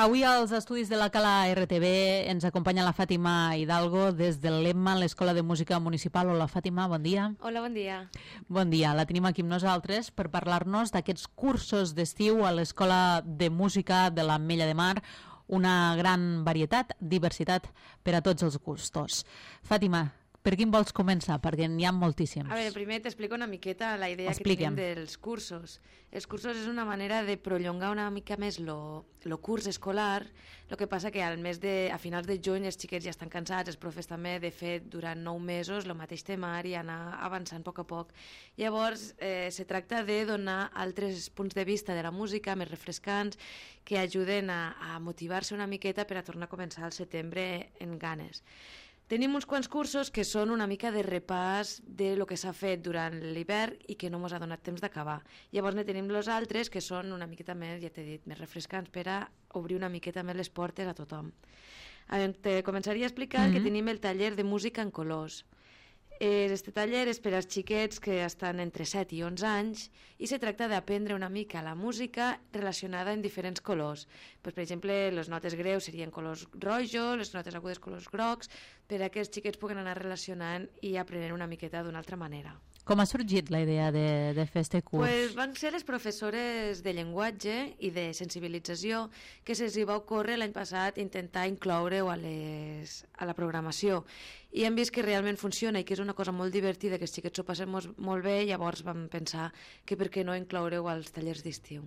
Avui als estudis de la Cala RTV ens acompanya la Fàtima Hidalgo des del LEMMA, l'Escola de Música Municipal. Hola Fàtima, bon dia. Hola, bon dia. Bon dia, la tenim aquí amb nosaltres per parlar-nos d'aquests cursos d'estiu a l'Escola de Música de l'Ametlla de Mar, una gran varietat, diversitat per a tots els gustos. Fàtima, per quin vols començar? Perquè n'hi ha moltíssims. A veure, primer t'explico una miqueta la idea que tenim dels cursos. Els cursos és una manera de prolongar una mica més lo curs escolar. El que passa que a finals de juny els xiquets ja estan cansats, els profes també, de fer durant 9 mesos el mateix temari i anar avançant a poc a poc. Llavors, se tracta de donar altres punts de vista de la música més refrescants que ajuden a motivar-se una miqueta per a tornar a començar al setembre en ganes. Tenim uns quants cursos que són una mica de repàs de lo que s'ha fet durant l'hivern i que no ens ha donat temps d'acabar. Llavors ne tenim els altres que són una miqueta més, ja t'he dit, més refrescants per a obrir una miqueta més les portes a tothom. Te començaria a explicar que tenim el taller de música en colors. Este taller és per als xiquets que estan entre 7 i 11 anys i se tracta d'aprendre una mica la música relacionada en diferents colors. Per exemple, les notes greus serien colors rojos, les notes agudes colors grocs, per a que els xiquets puguen anar relacionant i aprenent una miqueta d'una altra manera. Com ha sorgit la idea de fer este curs? Pues van ser les professores de llenguatge i de sensibilització que se'ls va ocórrer l'any passat intentar incloure-ho a la programació. I hem vist que realment funciona i que és una cosa molt divertida, que els xiquets s'ho passen molt bé, llavors vam pensar que per què no incloure-ho als tallers d'estiu.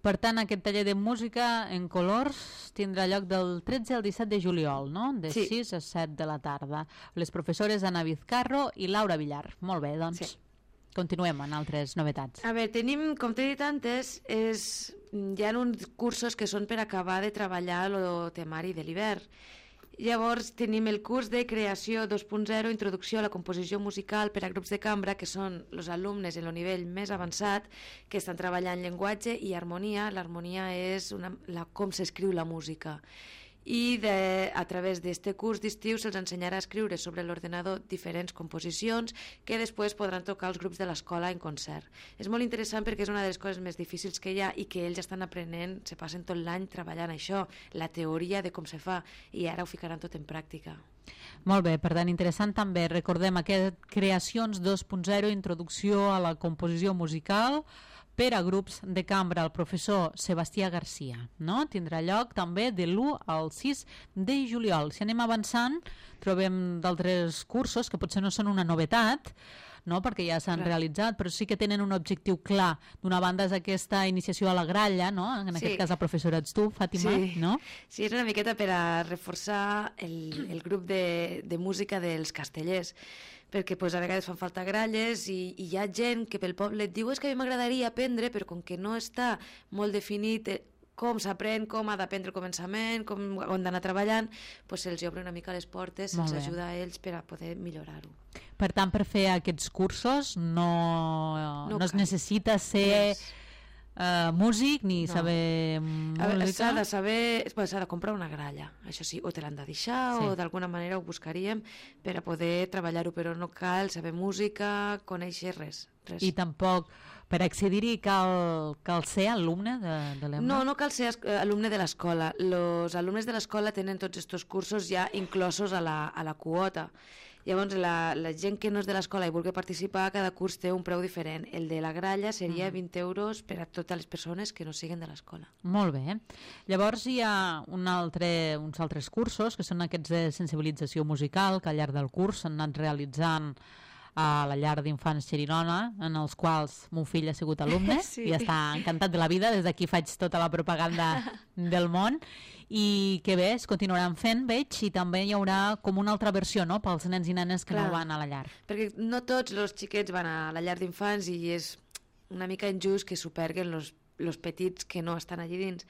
Per tant, aquest taller de música en colors tindrà lloc del 13 al 17 de juliol, no? De 6 a 7 de la tarda. Les professores Ana Vizcarro i Laura Villar. Molt bé, doncs continuem amb altres novetats. A veure, tenim, com t'he dit antes, hi ha uns cursos que són per acabar de treballar el temari de l'hivern. Llavors tenim el curs de creació 2.0, introducció a la composició musical per a grups de cambra, que són els alumnes en el nivell més avançat que estan treballant llenguatge i harmonia. L'harmonia és com s'escriu la música. I a través d'aquest curs d'estiu se'ls ensenyarà a escriure sobre l'ordenador diferents composicions que després podran tocar els grups de l'escola en concert. És molt interessant perquè és una de les coses més difícils que hi ha i que ells estan aprenent, se passen tot l'any treballant això, la teoria de com se fa, i ara ho ficaran tot en pràctica. Molt bé, per tant, interessant també. Recordem aquest Creacions 2.0, introducció a la composició musical per a grups de cambra, el professor Sebastià Garcia, no? Tindrà lloc també de l'1 al 6 de juliol. Si anem avançant, trobem d'altres cursos que potser no són una novetat, no? Perquè ja s'han realitzat, però sí que tenen un objectiu clar. D'una banda és aquesta iniciació a la gralla, no? En aquest cas la professora ets tu, Fàtima, no? Sí, és una miqueta per a reforçar el grup de música dels castellers, perquè a vegades fan falta gralles i hi ha gent que pel poble et diu és que a mi m'agradaria aprendre, però com que no està molt definit com s'aprèn, com ha d'aprendre el començament, com han d'anar treballant, se'ls obre una mica les portes, se'ls ajuda a ells per a poder millorar-ho. Per tant, per fer aquests cursos no es necessita ser músic ni saber música. S'ha de comprar una gralla, això sí, o te l'han de deixar o d'alguna manera ho buscaríem per a poder treballar-ho, però no cal saber música, conèixer res. I tampoc per accedir-hi cal ser alumne de l'EMMA? No cal ser alumne de l'escola. Els alumnes de l'escola tenen tots aquests cursos ja inclosos a la quota. Llavors, la gent que no és de l'escola i vulgui participar, cada curs té un preu diferent. El de la gralla seria 20 euros per a totes les persones que no siguin de l'escola. Molt bé. Llavors hi ha uns altres cursos, que són aquests de sensibilització musical, que al llarg del curs s'han anat realitzant a la llar d'infants Xerinona, en els quals mon fill ha sigut alumne i està encantat de la vida. Des d'aquí faig tota la propaganda del món, i que bé, es continuaran fent, veig, i també hi haurà com una altra versió, no?, pels nens i nenes que no van a la llar. Perquè no tots els xiquets van a la llar d'infants i és una mica injust que s'ho perguen els petits que no estan allí dins.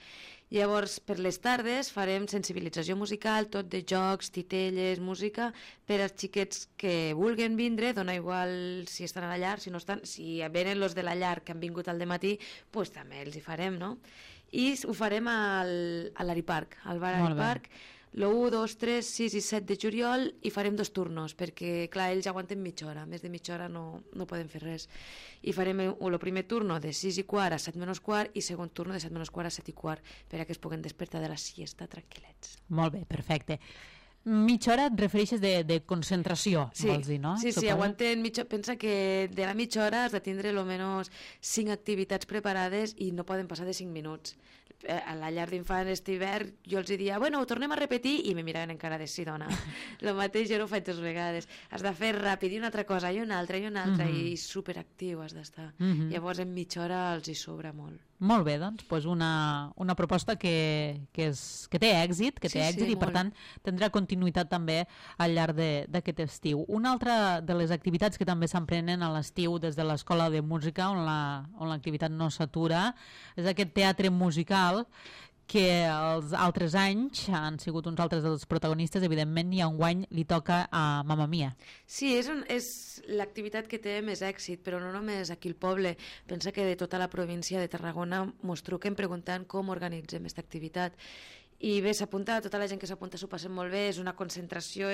Llavors, per les tardes farem sensibilització musical, tot de jocs, titelles, música, per als xiquets que vulguen vindre, dona igual si estan a la llar, si no estan, si venen els de la llar que han vingut al dematí, doncs també els hi farem, no? I ho farem a l'Ariparc, al bar Ariparc. l'1, 2, 3, 6 i 7 de juliol i farem 2 turnos, perquè, clar, ells aguanten mitja hora, més de mitja hora no poden fer res. I farem el primer turno de 6 i quart a 7 menys quart i segon turno de 7 menys quart a 7 i quart, perquè es puguen despertar de la siesta tranquil·lets. Molt bé, perfecte. Mitja hora et refereixes de concentració, vols dir, no? Sí, aguanten mitja... Pensa que de la mitja hora has de tindre almenys 5 activitats preparades i no poden passar de 5 minuts. A la llar d'infants d'hivern jo els diria, bueno, ho tornem a repetir, i me miraven encara de sí, dona. El mateix jo no ho faig 2 vegades. Has de fer ràpid i una altra cosa, i una altra, i superactiu has d'estar. Llavors en mitja hora els hi sobra molt. Molt bé, doncs, una proposta que té èxit, i per tant tindrà continuïtat també al llarg d'aquest estiu. Una altra de les activitats que també s'emprenen a l'estiu des de l'Escola de Música, on l'activitat no s'atura, és aquest teatre musical que els altres anys han sigut uns altres dels protagonistes, evidentment, i enguany li toca a Mamma Mia. Sí, és l'activitat que té més èxit, però no només aquí al poble. Pensa que de tota la província de Tarragona mos truquen preguntant com organitzem aquesta activitat. I bé, s'apunta, tota la gent que s'apunta s'ho passen molt bé, és una concentració,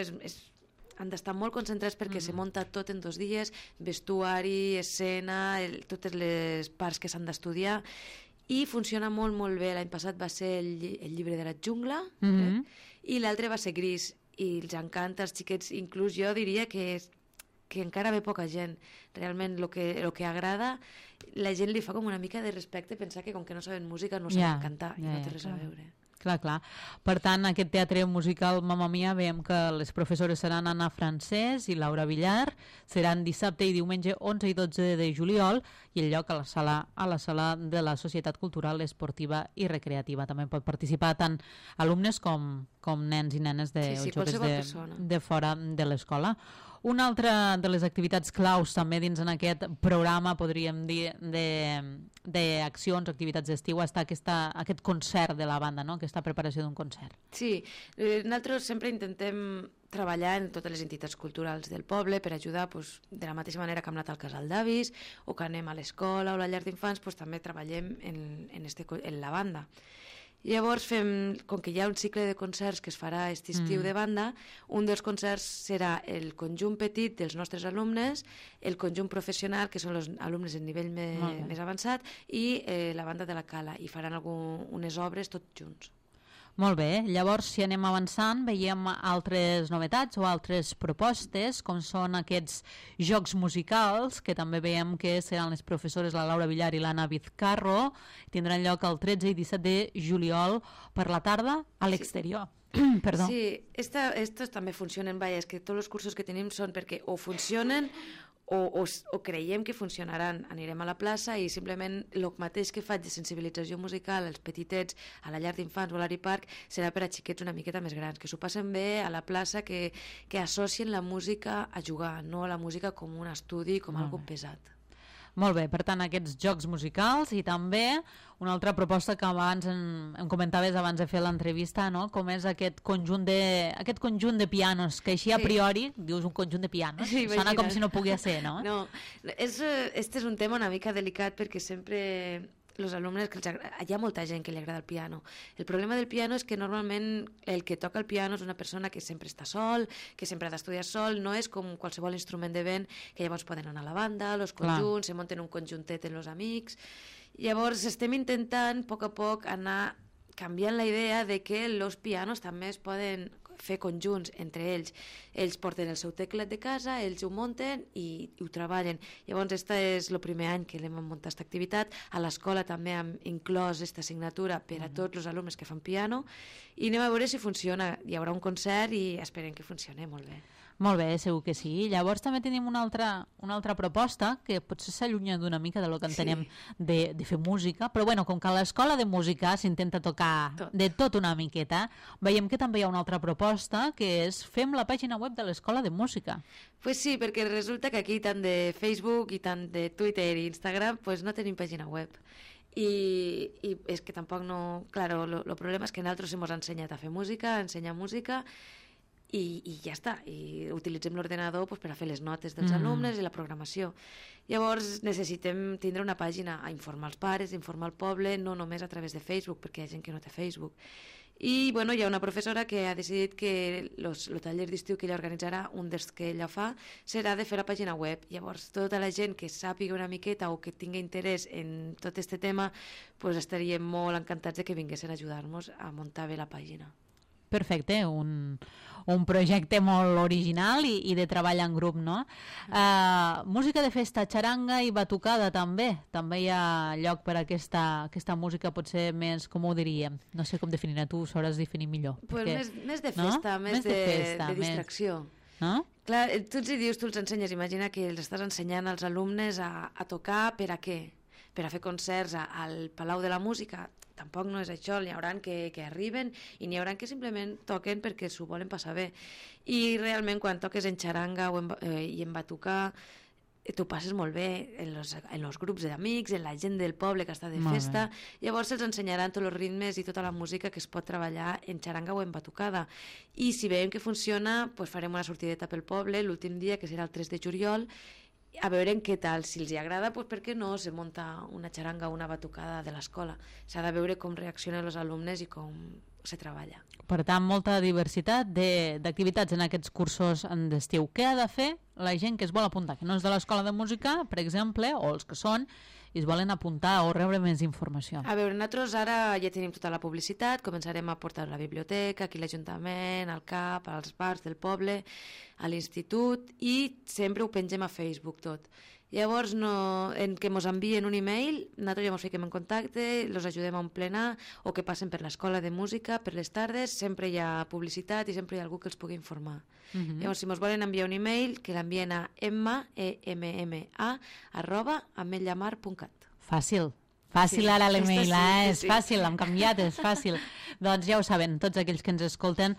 han d'estar molt concentrats perquè se munta tot en 2 dies, vestuari, escena, totes les parts que s'han d'estudiar, i funciona molt, molt bé. L'any passat va ser el llibre de la jungla, i l'altre va ser Gris, i els encanta als xiquets. Inclús jo diria que encara ve poca gent. Realment el que agrada, la gent li fa com una mica de respecte pensar que com que no saben música no saben cantar, i no té res a veure. Clar. Per tant, aquest teatre musical Mamma Mia, veiem que les professores seran Anna Francés i Laura Villar, seran dissabte i diumenge 11 i 12 de juliol, i el lloc a la sala de la Societat Cultural, Esportiva i Recreativa. També pot participar tant alumnes com nens i nenes joves de fora de l'escola. Una altra de les activitats claus també dins en aquest programa, podríem dir, d'accions, activitats d'estiu, està aquest concert de la banda, no? Aquesta preparació d'un concert. Sí, nosaltres sempre intentem treballar en totes les entitats culturals del poble per ajudar, de la mateixa manera que hem anat al casal d'avis o que anem a l'escola o a la llar d'infants, també treballem en la banda. Llavors com que hi ha un cicle de concerts que es farà aquest estiu de banda, un dels concerts serà el conjunt petit dels nostres alumnes, el conjunt professional, que són els alumnes en nivell més avançat, i la banda de la Cala, i faran unes obres tots junts. Molt bé, llavors si anem avançant veiem altres novetats o altres propostes, com són aquests jocs musicals, que també veiem que seran les professores la Laura Villar i l'Anna Vizcarro, tindran lloc el 13 i 17 de juliol per la tarda a l'exterior. Perdó. Sí, estos també funcionen, és que tots els cursos que tenim són perquè o funcionen o creiem que funcionaran. Anirem a la plaça i simplement el mateix que faig de sensibilització musical als petitets a la llar d'infants o a l'Ari Park serà per a xiquets una miqueta més grans, que s'ho passen bé a la plaça, que associen la música a jugar, no la música com un estudi, com algo pesat. Molt bé, per tant, aquests jocs musicals, i també una altra proposta que abans em comentaves abans de fer l'entrevista, no? Com és aquest conjunt de pianos, que així a priori dius un conjunt de pianos, sona com si no pogués ser, no? No, este és un tema una mica delicat perquè sempre els alumnes, hi ha molta gent que li agrada el piano. El problema del piano és que normalment el que toca el piano és una persona que sempre està sol, que sempre ha d'estudiar sol, no és com qualsevol instrument de vent, que llavors poden anar a la banda, els conjunts, se munten un conjuntet amb els amics. Llavors estem intentant a poc anar canviant la idea de que els pianos també es poden fer conjunts entre ells. Ells porten el seu teclat de casa, ells ho munten i ho treballen. Llavors, este és el primer any que hem muntat aquesta activitat. A l'escola també hem inclòs aquesta assignatura per a tots els alumnes que fan piano i anem a veure si funciona. Hi haurà un concert i esperem que funcioni molt bé. Molt bé, segur que sí. Llavors també tenim una altra proposta que potser s'allunya d'una mica del que entenem de fer música, però bueno, com que a l'escola de música s'intenta tocar de tot una miqueta, veiem que també hi ha una altra proposta que és fem la pàgina web de l'escola de música. Pues sí, perquè resulta que aquí tant de Facebook i tant de Twitter i Instagram pues no tenim pàgina web. I és que tampoc no... Claro, el problema és que nosaltres hem ensenyat a fer música, a ensenyar música, i ja està, i utilitzem l'ordenador per a fer les notes dels alumnes i la programació. Llavors necessitem tindre una pàgina a informar els pares, a informar el poble, no només a través de Facebook, perquè hi ha gent que no té Facebook. I bueno, hi ha una professora que ha decidit que el taller d'estiu que ella organitzarà, un dels que ella fa, serà de fer la pàgina web. Llavors, tota la gent que sàpiga una miqueta o que tingui interès en tot aquest tema, pues estaríem molt encantats de que vinguessin a ajudar-nos a muntar bé la pàgina. Perfecte, un projecte molt original i de treball en grup, no? Música de festa, xaranga i batucada també. També hi ha lloc per a aquesta música potser més, com ho diríem? No sé com definir-la, tu sabràs definir millor. Pues perquè, més de festa, no? més de distracció. No? Clar, tu els dius, tu els ensenyes, imagina que els estàs ensenyant als alumnes a tocar per a què? Per a fer concerts al Palau de la Música. Tampoc no és això, n'hi haurà que arriben i n'hi haurà que simplement toquen perquè s'ho volen passar bé. I realment quan toques en xaranga i en batucar, t'ho passes molt bé en els grups d'amics, en la gent del poble que està de festa. Llavors se'ls ensenyaran tots els ritmes i tota la música que es pot treballar en xaranga o en batucada. I si veiem que funciona, doncs farem una sortideta pel poble l'últim dia, que serà el 3 de juliol, a veure què tal, si els agrada, doncs per què no se munta una xaranga o una batucada de l'escola. S'ha de veure com reaccionen els alumnes i com se treballa. Per tant, molta diversitat d'activitats en aquests cursos d'estiu. Què ha de fer la gent que es vol apuntar, que no és de l'escola de música, per exemple, o els que són, i es volen apuntar o rebre més informació? A veure, nosaltres ara ja tenim tota la publicitat, començarem a portar a la biblioteca, aquí a l'Ajuntament, al CAP, als bars del poble, a l'institut, i sempre ho pengem a Facebook tot. Llavors, en que ens envien un email, nosaltres ja ens fiquem en contacte, els ajudem a emplenar, o que passen per l'escola de música, per les tardes, sempre hi ha publicitat i sempre hi ha algú que els pugui informar. Llavors, si ens volen enviar un email, que l'envien a emma@ametllamar.cat. Fàcil. Fàcil ara l'email, és fàcil, hem canviat, és fàcil. Doncs ja ho saben, tots aquells que ens escolten,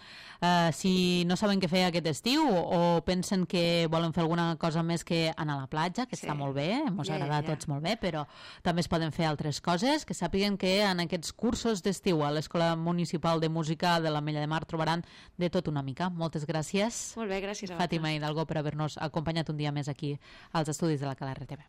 si no saben què fer aquest estiu o pensen que volen fer alguna cosa més que anar a la platja, que està molt bé, ens agrada a tots molt bé, però també es poden fer altres coses, que sàpiguen que en aquests cursos d'estiu a l'Escola Municipal de Música de l'Ametlla de Mar trobaran de tot una mica. Moltes gràcies. Molt bé, gràcies a Fàtima Hidalgo, per haver-nos acompanyat un dia més aquí als estudis de la CAL RTV.